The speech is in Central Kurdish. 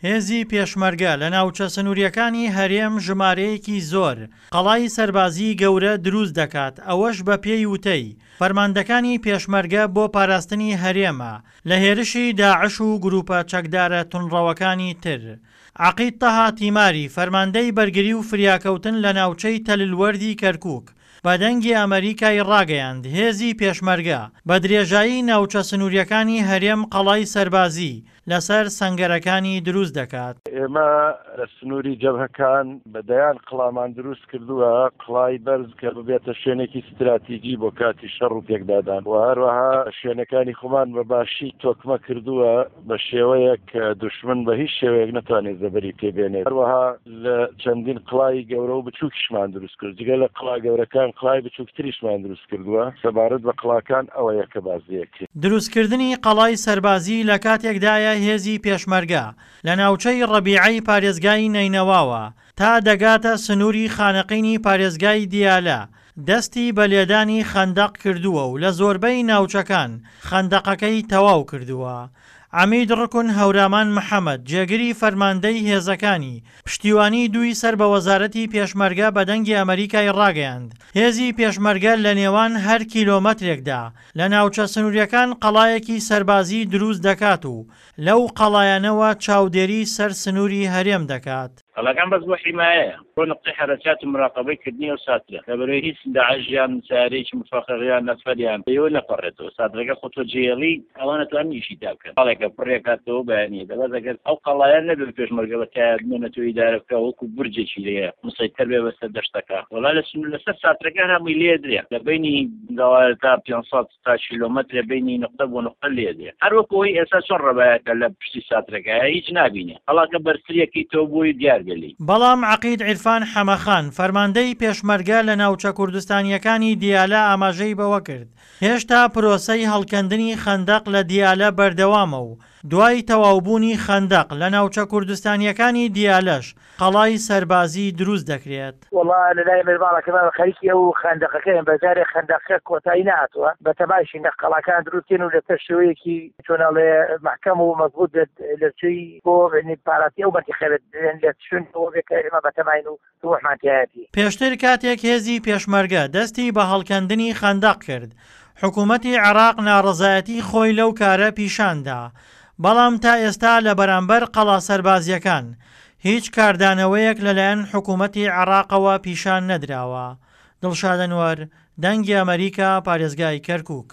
هێزی پێشمەرگە لە ناوچە سنوورییەکانی هەرێم ژمارەیەکی زۆر قەڵای سەربازیی گەورە دروست دەکات، ئەوەش بەپێی وتەی فەرماندەکانی پێشمەرگە بۆ پاراستنی هەرێمە لە هێرشی داعش و گروپە چەکدارە توندڕەوەکانی تر. عەقید تەها تیماری، فەرماندەی بەرگری و فریاکەوتن لە ناوچەی تەللوەردی کەرکوک، بە دەنگی ئەمەریکای ڕاگەیاند، هێزی پێشمەرگە بە درێژایی ناوچە سنوورییەکانی هەرێم قەڵای سەربازی لەسەر سەنگەرەکانی دروست دەکات. ئێمە لە سنووری جەبهەکان بە دەیان قڵامان دروست کردووە، قڵای بەرز کە ببێتە شوێنێکی ستراتیجی بۆ کاتی شەڕ و پێکدادان و هەروەها شوێنەکانی خۆمان بە باشی تۆکمە کردووە بە شێوەیەک کە دوشمن بە هیچ شێوەیەک نەتوانێت زەبری پێ بێنێت. هەروەها لە چەندین قڵای گەورە و بچووکیشمان دروست کرد، جگە لە قڵا گەورەکان قڵای بچووکتریشمان دروست کردووە، سەبارەت بە قڵاکان ئەوەیە کە باس لێکرێت. دروستکردنی قەڵای سەربازی لە کاتێکدایە هێزی پێشمەرگە لە ناوچەی ڕەبیعەی پارێزگای نەینەواوە تا دەگاتە سنووری خانەقینی پارێزگای دیالە دەستی بە لێدانی خەندەق کردووە و لە زۆربەی ناوچەکان خەندەقەکەی تەواو کردووە. عەمید ڕوکن هەورامان محەمەد، جێگری فەرماندەی هێزەکانی پشتیوانی دووی سەر بە وەزارەتی پێشمەرگە بە دەنگی ئەمەریکای ڕاگەیاند، هێزی پێشمەرگە لە نێوان هەر کیلۆمەترێکدا لە ناوچە سنووریەکان قەڵایەکی سەربازی دروست دەکات و لەو قەڵایانەوە چاودێری سەر سنووری هەرێم دەکات. قەڵاکان بەس بۆ حیمایەیە بۆ نقطەی حەرەکات و مراقەبەی کردنی ئەو ساترە لەبەرئەوەی هیچ داعش یان سەیارەیەکی مفەخخ یان نەفەر یان پێوە نەپەڕێتەوە ساترەکە خۆ تۆ جێڵی ئەوان ئەتوانن ئیشی تا بکەن قەڵێکە پڕێکاتەوە بەیانیە دەبەس ئەگەر ئەو قەڵایە نەبێ پێشمەرگە بە تایە بمێنێتەوە ئیدارە بکا وەکو بورجێکی لێیە مسەیتەر بێ بەسەر دەشتەکە وەڵا لە سنوور لەسەر ساترەکە هەر هەمووی لێ درێ لە بەینی تا 500 تا کیلۆمەترێ بەینی نوقتە بۆ نوقتە لێ دێ هەر وەکو ئەوەی ئێستا چۆن ڕەبایەکە لە پشتی ساترەکەیە هیچ نابینێ قەڵاکە بەرزتریەکەی تۆ بۆی دیار بێ لێی. بەڵام عەقید عیرفان حەمەخان، فەرماندەی پێشمەرگە لە ناوچە کوردستانییەکانی دیالە ئاماژەی بەوەکرد، هێشتا پرۆسەی هەڵکەندنی خەندەق لە دیالە بەردەوامە و دوای تەواوبوونی خەندەق لە ناوچە کوردستانییەکانی دیالەش قەڵای سەربازی دروست دەکرێت. وەڵا لە لای من ماڵەکەمان خەریکی ئەو خەندەقەکەین بە جارێ خەندەقەکە کۆتایی نەهاتووە بە تەماشین لە قەڵاکان دروست کەین و لەسەر شێوەیەکی چۆن ئەڵێ مەحکەم و مەزبوط بێت لە چوی بۆ پاراتی ئەو مەنتیقە بێت لە شوێن ئەوە بێت کە ئێمە بەتەماین و طموحمان تیایەتی. پێشتر کاتێک هێزی پێشمەرگە دەستی بە هەڵکەندنی خەندەق کرد، حکوومەتی عێراق ناڕەزایەتی خۆی لەو کارە پیشان دا، بەڵام تا ئێستا لە بەرامبەر قەڵا سەربازییەکان هیچ کاردانەوەیەک لەلایەن حکوومەتی عێراقەوە پیشان نەدراوە. دڵشاد ئەنوەر، دەنگی ئەمەریکا، پارێزگای کەرکووک.